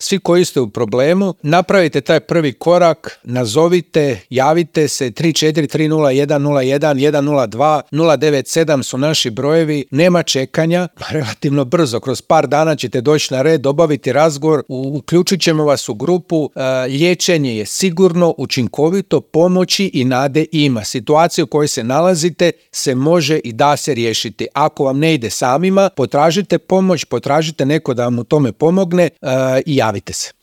svi koji ste u problemu, napravite taj prvi korak, nazovite, javite se, 3430101102, 097 su naši brojevi, nema čekanja, relativno brzo, kroz par dana ćete doći na red, obaviti razgovor, uključit ćemo vas u grupu, liječenje je sigurno, učinkovito, pomoći i nade ima. Situaciju u kojoj se nalazite se može i da se riješiti. Ako vam ne ide samima, potražite pomoć, potražite neko da vam u tome pomogne i javite se.